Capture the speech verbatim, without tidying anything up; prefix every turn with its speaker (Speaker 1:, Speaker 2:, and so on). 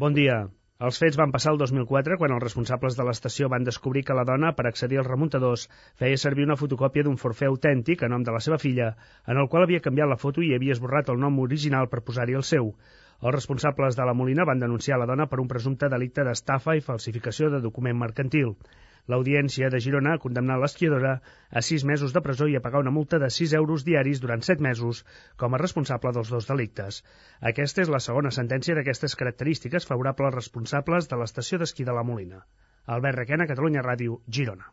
Speaker 1: Bon dia. Els fets van passar el dos mil quatre quan els responsables de l'estació van descobrir que la dona, per accedir als remuntadors, feia servir una fotocòpia d'un forfait autèntic a nom de la seva filla, en el qual havia canviat la foto i havia esborrat el nom original per posar-hi el seu. Els responsables de la Molina van denunciar la dona per un presumpte delicte d'estafa i falsificació de document mercantil. L'Audiència de Girona ha condemnat l'esquiadora a sis mesos de presó i a pagar una multa de sis euros diaris durant set mesos com a responsable dels dos delictes. Aquesta és la segona sentència d'aquestes característiques favorable als responsables de l'estació d'esquí de la Molina. Albert Requena, Catalunya Ràdio, Girona.